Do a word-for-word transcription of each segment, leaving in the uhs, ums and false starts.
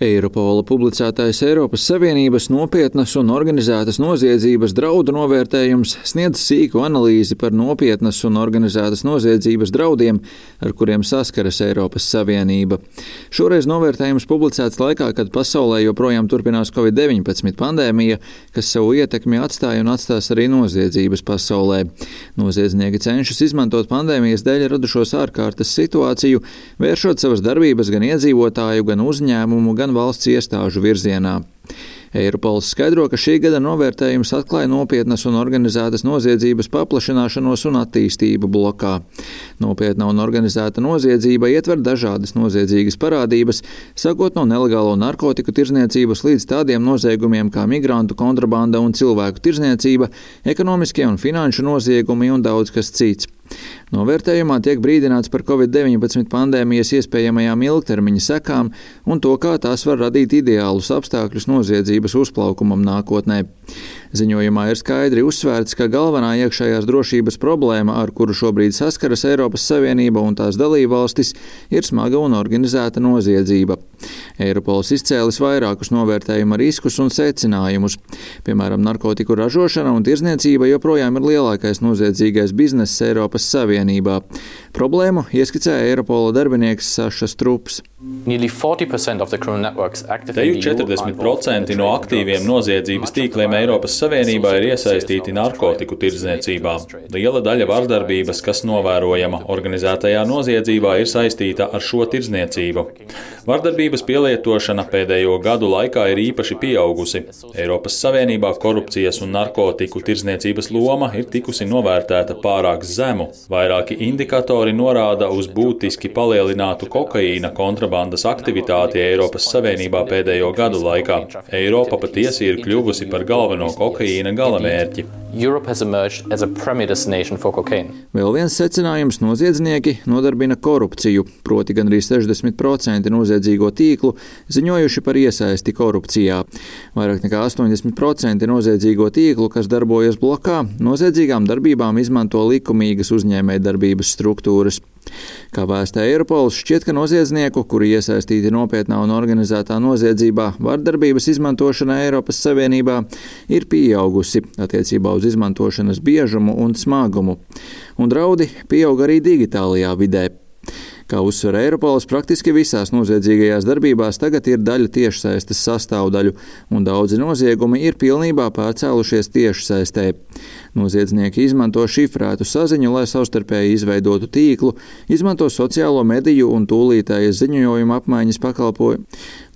Eiropola publicētais Eiropas Savienības nopietnas un organizētas noziedzības draudu novērtējums sniedz sīku analīzi par nopietnas un organizētas noziedzības draudiem, ar kuriem saskaras Eiropas Savienība. Šoreiz novērtējums publicēts laikā, kad pasaulē joprojām turpinās covid deviņpadsmit pandēmija, kas savu ietekmi atstāja un atstās arī noziedzības pasaulē. Noziedznieki cenšas izmantot pandēmijas dēļ radušos ārkārtas situāciju, vēršot savas darbības gan iedzīvotāju, gan uzņēmumu, gan valsts iestāžu virzienā. Eiropols skaidro, ka šī gada novērtējums atklāja nopietnas un organizētas noziedzības paplašināšanos un attīstību blokā. Nopietna un organizēta noziedzība ietver dažādas noziedzīgas parādības, sākot no nelegālo narkotiku tirdzniecības līdz tādiem noziegumiem kā migrantu kontrabanda un cilvēku tirdzniecība, ekonomiskie un finanšu noziegumi un daudz kas cits. Novērtējumā tiek brīdināts par covid deviņpadsmit pandēmijas iespējamajām ilgtermiņa sekām un to, kā tās var radīt ideālus apstākļus noziedzības uzplaukumam nākotnē. Ziņojumā ir skaidri uzsvērts, ka galvenā iekšējās drošības problēma, ar kuru šobrīd saskaras Eiropas Savienība un tās dalībvalstis, ir smaga un organizēta noziedzība. Eiropols izcēlis vairākus novērtējuma riskus un secinājumus. Piemēram, narkotiku ražošana un tirdzniecība joprojām ir lielākais noziedzīgais bizness Eiropas Savienībā. Problēmu ieskicēja Eiropola darbinieks Saša Strups. Teju četrdesmit procenti no aktīviem noziedzības tīkliem Eiropas Savienībā ir iesaistīti narkotiku tirdzniecībā. Liela daļa vardarbības, kas novērojama organizētajā noziedzībā, ir saistīta ar šo tirdzniecību. Vardarbības pielietošana pēdējo gadu laikā ir īpaši pieaugusi. Eiropas Savienībā korupcijas un narkotiku tirdzniecības loma ir tikusi novērtēta pārāk zemu. Vairāki indikatori norāda uz būtiski palielinātu kokaīna kontrabandas aktivitāti Eiropas Savienībā pēdējo gadu laikā. Eiropa patiesi ir kļuvusi par galveno kokaīna galamērķi. Vēl viens secinājums: noziedznieki nodarbina korupciju, proti gandrīz sešdesmit procenti noziedzīgo tīklu ziņojuši par iesaisti korupcijā. Vairāk nekā astoņdesmit procenti noziedzīgo tīklu, kas darbojas blokā, noziedzīgām darbībām izmanto likumīgas uzņēmējdarbības struktūras. Kā vēstā Eiropols, šķiet, ka noziedznieku, kuri iesaistīti nopietnā un organizētā noziedzībā, vardarbības izmantošana Eiropas Savienībā ir pieaugusi attiecībā uz izmantošanas biežumu un smagumu, un draudi pieaug arī digitālajā vidē. Kā uzsver Eiropols, praktiski visās noziedzīgajās darbībās tagad ir daļa tiešsaistes sastāvdaļu, un daudzi noziegumi ir pilnībā pārcēlušies tiešsaistē. Noziedznieki izmanto šifrētu saziņu, lai savstarpēji izveidotu tīklu, izmanto sociālo mediju un tūlītējas ziņojuma apmaiņas pakalpojumu.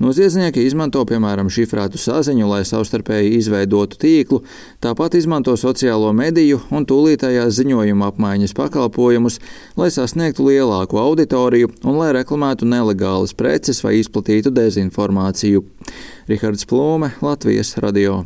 Noziedznieki izmanto, piemēram, šifrētu saziņu, lai savstarpēji izveidotu tīklu, tāpat izmanto sociālo mediju un tūlītējās ziņojuma apmaiņas pakalpojumus, lai sasniegtu lielāku auditoriju un lai reklamētu nelegālas preces vai izplatītu dezinformāciju. Rihards Plūme, Latvijas radio.